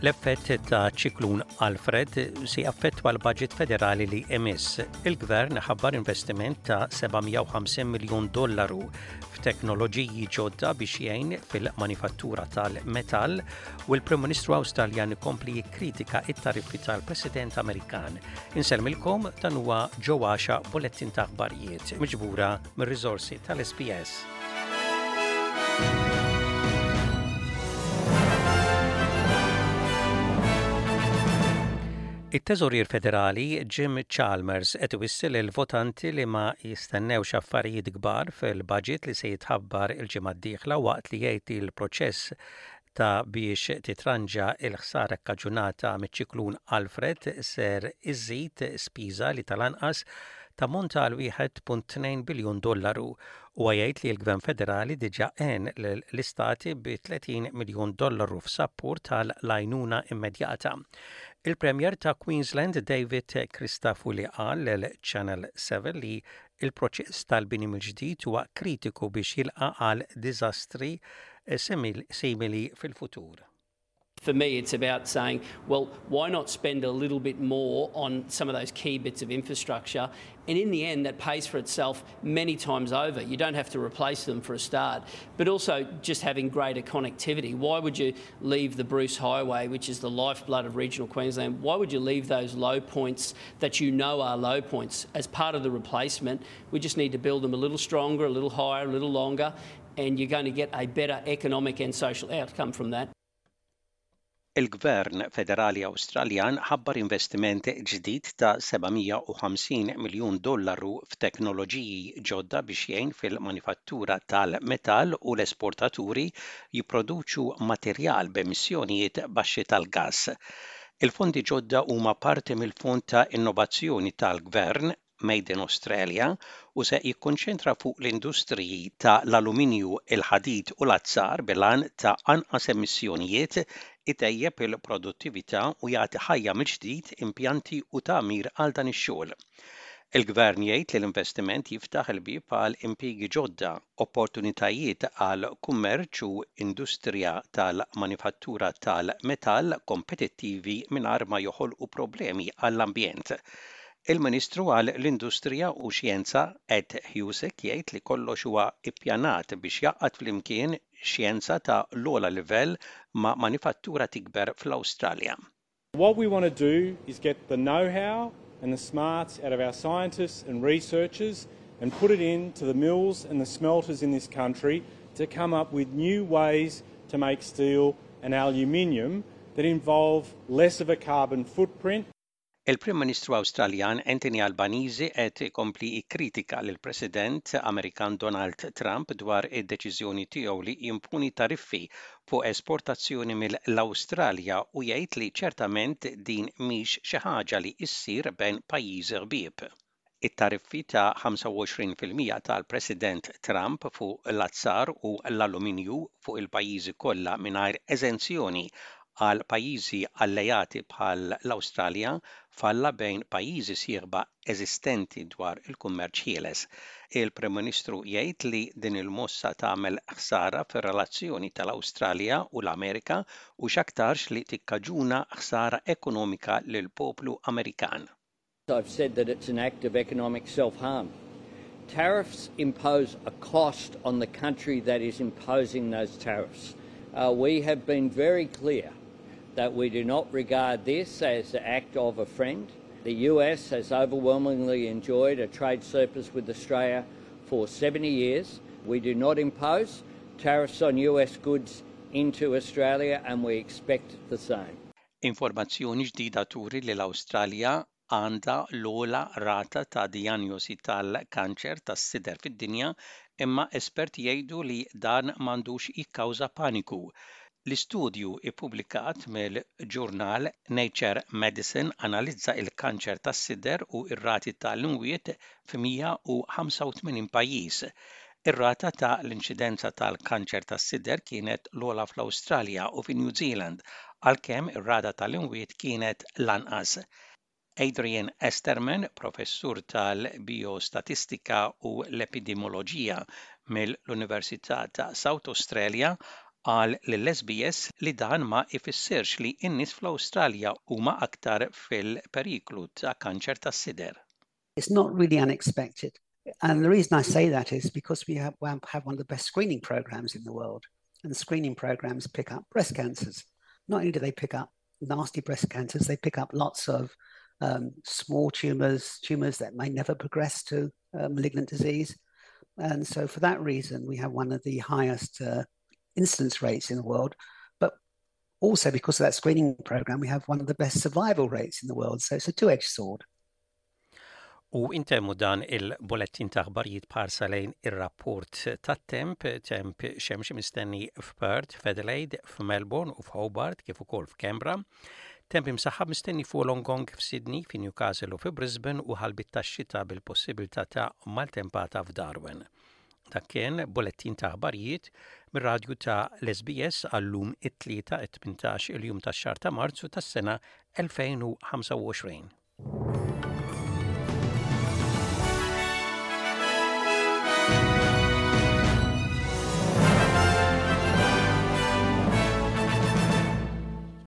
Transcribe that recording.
L-effett ta' ċiklun Alfred se jaffettwa l-budget federali li imiss. Il-gvern ħabbar investiment ta' 750 miljun dollaru f'teknoloġiji ġodda biex jgħin fil-manifattura tal-metall u l-Prim Ministru Awstraljan ikompli jikkritika it-tariffi tal-President Amerikan. Insellmilkom dan huwa ġo għaxa bulettin ta' aħbarijiet miġbura mir-riżorsi tal-SBS. It-Teżorier Federali Jim Chalmers qed iwissi lill-votanti li ma jistennewx affarijiet kbar fil-budget li se jitħabbar il-ġimgħa d-dieħla waqt li jgħid li l-proċess ta' biex titranġa l-ħsara kkaġunata miċ-ċiklun Alfred ser iżżid spiża li tal-anqas tammonta għal 1.2 biljun dollaru. Huwa jgħid li l-Gvern Federali diġà għen lill-istati bi 30 miljun dollaru f'sapport għal l-għajnuna immedjata. Il-Premier ta' Queensland David Christafuli qal lil Channel 7 li l-proċess tal-bini mill-ġdid huwa kritiku biex jilqa' għal diżastri simili fil-futur. For me, it's about saying, well, why not spend a little bit more on some of those key bits of infrastructure? And in the end, that pays for itself many times over. You don't have to replace them for a start, but also just having greater connectivity. Why would you leave the Bruce Highway, which is the lifeblood of regional Queensland? Why would you leave those low points that you know are low points as part of the replacement? We just need to build them a little stronger, a little higher, a little longer, and you're going to get a better economic and social outcome from that. Il-Gvern Federali Awstraljan ħabbar investiment ġdid ta' 750 miljun dollaru f'teknoloġiji ġodda biex jgħin fil-manifattura tal-metall u l-esportaturi jipproduċu materjal b'emissjonijiet baxxi tal-gass. Il-fondi ġodda huma parti mill-Fond ta' Innovazzjoni tal-Gvern Made in Australia u se jikkonċentra fuq l-industriji ta' l-aluminju, il-ħadid u l-azzar bil-għan ta' anqas emissjonijiet, itejjeb il-produttività u jagħti ħajja mill-ġdid impjanti u tagħmir għal dan ix-xogħol. Il-Gvern jgħid li l-investiment jiftaħ il-bieb għal impjiegi ġodda, opportunitajiet għal kummerċ u industrija tal-manifattura tal-metall kompetittivi mingħajr ma joħolqu problemi għall-ambjent. Il-Ministru għal l-Industrija u Xjenza Ed Husic jgħid li kollox huwa ippjanat biex jgħaqqad flimkien xjenza ta' l-ogħla livell ma' manifattura tikber fl-Awstralja. What we want to do is get the know-how and the smarts out of our scientists and researchers and put it into the mills and the smelters in this country to come up with new ways to make steel and aluminium that involve less of a carbon footprint. Il-Prim Ministru Awstraljan Anthony Albanese qed ikompli jikkritika lill-President Amerikan Donald Trump dwar id-deċiżjoni tiegħu li jimponi tariffi fuq esportazzjoni mill-Awstralja u jgħid li ċertament din mhix xi ħaġa li ssir bejn pajjiżi ħbieb. It-tariffi ta' 25% tal-President Trump fuq l-azzar u l-aluminju fuq il-pajjiżi kollha mingħajr eżenzjoni għal pajjiżi alleati bħal l-Awstralja falla bejn pajjiżi sieħba eżistenti dwar il-kummerċ ħieles. Il-Prim Ministru jgħid li din il-mossa tagħmel ħsara fir-relazzjoni tal-Awstralja u l-Amerika u x'aktarx li tikkaġuna ħsara ekonomika lill-poplu Amerikan. I've said that it's an act of economic self-harm. Tariffs impose a cost on the country that is imposing those tariffs. Uh, we have been very clear that we do not regard this as the act of a friend. The US has overwhelmingly enjoyed a trade surplus with Australia for 70 years. We do not impose tariffs on US goods into Australia and we expect the same. Informazzjoni ġdida turi li l-Awstralja għandha l-ogħla rata ta' dijanjosi tal-kanċer tas-sider fid-dinja imma esperti jgħidu li dan m'għandux jikkawża paniku. L-istudju ppubblikat mill-ġurnal Nature Medicine analizza l-kanċer tas-sider u r-rati tal-imwiet f'185 pajjiż. Ir-rata ta' l-inċidenza tal-kanċer tas-sider kienet l-ogħla fl-Awstralja u fi New Zealand, għalkemm ir-rata tal-imwiet kienet l-anqas. Adrian Esterman, professur tal-biostatistika u l-epidemioloġija mill-Università ta' South Australia, Qal lill-SBS li dan ma ifissirx li n-nies fl-Awstralja huma aktar fil-periklu ta' kanċer tas-sider. It's not really unexpected. And the reason I say that is because we have, have one of the best screening programs in the world. And screening programs pick up breast cancers. Not only do they pick up nasty breast cancers, they pick up lots of um, small tumors, tumors that may never progress to uh, malignant disease. And so, for that reason, we have one of the highest uh, incidence rates in the world. But also, because of that screening program, we have one of the best survival rates in the world. So, it's a two edged sword. U intemmu dan il-bulettin ta' aħbarijiet b'ħarsa lejn ir-rapport tat-temp, temp xemxi mistenni f'Perth, f'Adelaide, f'Melbourne u f'Hobart kif ukoll f'Canberra. Temp imsaħħab mistenni f'Wollongong, f'Sydney, fi Newcastle u fi Brisbane u ħalbiet tax-xita bil-possibilità ta' maltempata f'Darwin. Dak kien bulettin ta' aħbarijiet mir-radju ta' l-SBS għal-lum it-Tlieta 18 il-jum tax-xahar ta' Marzu tas-sena 2025.